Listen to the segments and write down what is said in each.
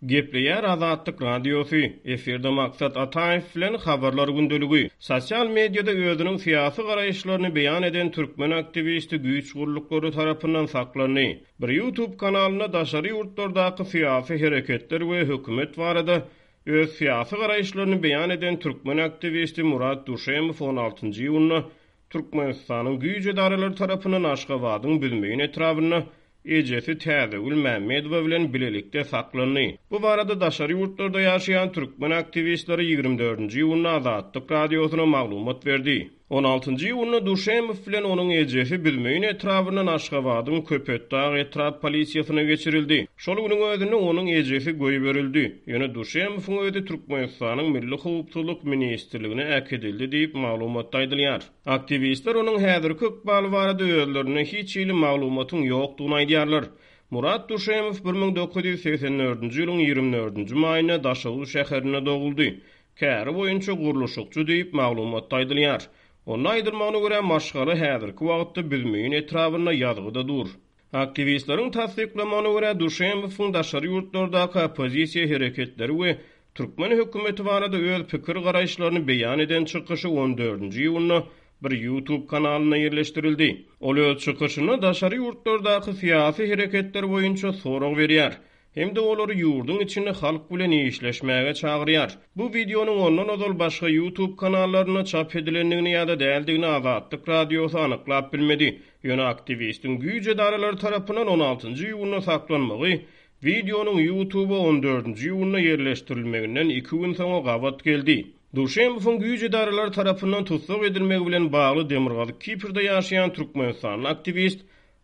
Gepleýär Azatlyk Radiosy, Efirde Maksat Ataýew bilen Habarlar gündeligi. Sosial mediada özüniň syýasy garaýyşlaryny beýan eden türkmen aktiwisti güýç gulluklary tarapyndan saklandy. Bir YouTube kanalynda daşary ýurtlardaky syýasy hereketler we hökümet barada öz syýasy garaýyşlaryny beýan eden türkmen aktiwisti Murat Duşemow on altynjy iýunda Türkmenistanyň güýç edaralary tarapyndan Aşgabadyň Büzmeýin etrabynda ejesi Täzegül Mämmedowa bilen bilelikde saklandy. Bu barada daşary ýurtlarda ýaşaýan türkmen aktiwistleri 24-nji iýunda Azatlyk Radiosyna maglumat berdi. On altynjy iýunda Duşemow bilen onuň ejesi Büzmeýin etrabyndan Aşgabadyň Köpetdag etrap polisiýasyna geçirildi. Şol günüň özünde onuň ejesi goýberildi. Ýöne Duşemowyň özi Türkmenistanyň Milli howpsuzlyk ministrligine äkidildi diýip, maglumatda aýdylýar. Aktiwistler onuň häzirki ykbaly barada özlerinde hiç hili maglumatyň ýokdugyny aýdýarlar. Murat Duşemow 1984-nji ýylyň 24-nji maýynda Daşoguz şäherinde doguldy. Käri boýunça gurluşykçy diýip, maglumatda aýdylýar. Onda aýdylmagyna görä, maşgala häzirki wagtda Büzmeýin etrabynda ýazgyda dur. Aktiwistleriň tassyklamagyna görä, Duşenbowyň daşary ýurtlardaky oppozisiýa hereketleri we türkmen hökümeti barada öz pikir-garaýyşlaryny beýan eden çykyşy on dördünji iýunda bir YouTube kanalynda ýerleşdirildi. Ol öz çykyşynda daşary ýurtlardaky syýasy hereketler boýunça sorag berýär. Hem-de olary ýurduň içinde halk bilen işleşmäge çagyrýar. Bu wideonyň ondan ozal başga YouTube kanallarynda çap edilendigini ýa-da däldigini Azatlyk Radiosy anyklap bilmedi. Ýöne aktiwistiň güýç edaralary tarapyndan on altynjy iýunda saklanmagy wideonyň YouTube-a on dördünji iýunda ýerleşdirilmeginden iki gün soňa gabat geldi. Duşenbowyň güýç edaralary tarapyndan tussag edilmegi bilen bagly Demirgazyk Kiprde ýaşaýan türkmenistanly aktiwist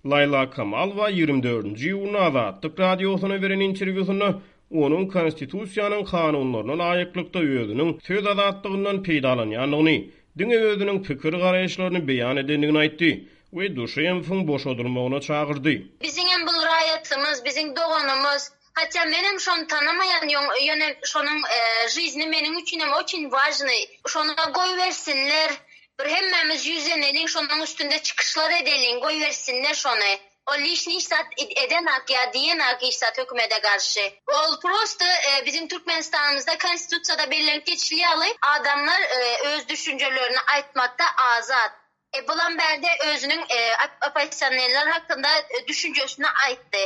Laýla Kamalowa 24-nji iýunda Azatlyk Radiosyna beren interwýusynda onuň Konstitusiýanyň kanunlaryna laýyklykda özüniň söz azatlygyndan peýdalanýandygyny, diňe özüniň pikir-garaýyşlaryny beýan edendigini aýtdy we Duşenbowyň boşadylmagyna çagyrdy. Biziňem bul raýatymyz, biziň doganymyz. Hatda menem şony tanamaýan ýöne şonuň žizni meniň üçinem oçin wažnyý. Şony goýbersinler. Bir hemmämiz ýüzleneliň şonuň üstünde çykyşlar edeliň goýbersinler şony. Ol lişni hiç zat edenak ýa diýenak hiç zat hökümede garşy. Ol prosto biziň Türkmenistanymyzda konstitusiýada bellenip geçili ýaly adamlar öz düşünjelerini aýtmakda azat. E bulam bärde özüniň oppozisionerler hakynda düşünjesini aýtdy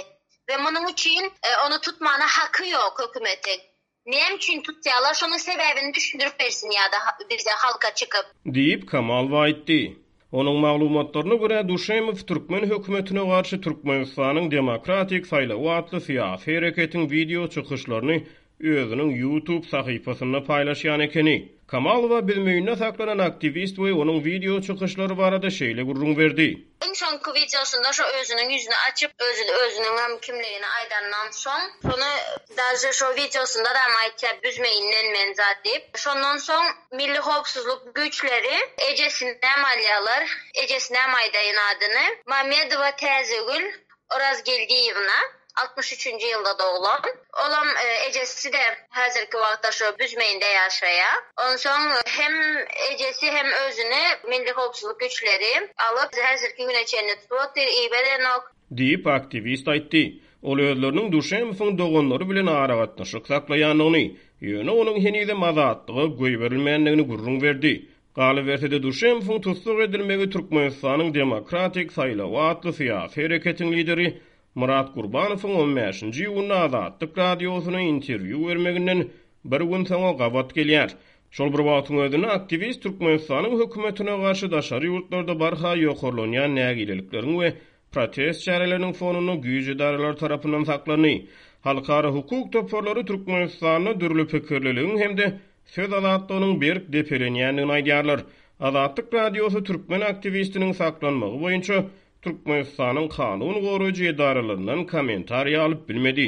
we munuň üçin ony tutmana haky ýok hökümetiň. Näme üçin tutýarlar şonuň sebäbini düşündirip bersin ýa-da bize halka çykyp. Diýip, Kamalowa aýtdy. Onuň maglumatlaryna görä, Duşemow türkmen hökümetine garşy Türkmenistanyň demokratik saýlawy atly syýasy hereketiň wideo çykyşlaryny özüniň YouTube sahypasynda paýlaşýan ekeni. Kamalowa Büzmeýinde saklanan aktiwist we onuň wideo çykyşlary barada şeýle gürrüň berdi. Iň soňky wideosynda şo özüniň ýüzüni açyp, özüni özüniňem kimligini aýdandan soň, şony daže şo wideosyndadam aýtýar Büzmeýinden men zat diýip. Şondan soň Milli howpsuzlyk güýçleri ejesinem alýarlar, ejesinem aýdaýyn adyny, Mamedowa Täzegül Orazgeldiýewna, 63-nji ýylda doglan. Olam ejesi-de häzirki wagtda şo Büzmeýinde ýaşaýar. Onsoň hem ejesi hem özüni Milli howpsuzlyk güýçleri alyp, häzirki güne çenli tutup otyr, iberenok. Diýip, aktiwist aýtdy. Ol özleriniň Duşenbowyň doganlary bilen aragatnaşyk saklaýandygyny, ýöne onuň henizem azatlyga goýberilmändigini gürrüň berdi. Galyberse-de, Duşenbowyň tussag edilmegi Türkmenistanyň Demokratik saýlawy atly syýasy hereketiň lideri Myrat Gurbanowyň on bäşinji iýunda Azatlyk Radiosyna interwýu bermeginden bir gün soňa gabat gelýär. Şol bir wagtyň özünde aktiwist Türkmenistanyň hökümetine garşy daşary ýurtlarda barha ýokarlanýan nägilelikleriň we protest çäreleriniň fonunda güýç edaralary tarapyndan saklandy. Halkara hukuk toparlary Türkmenistanda dürli pikirliligiň hem-de söz azatlygynyň berk depelenýändigini aýdýarlar. Azatlyk Radiosy türkmen aktiwistiniň saklanmagy boýunça Türkmenistanyň kanun goraýjy edaralaryndan kommentariý alyp bilmedi.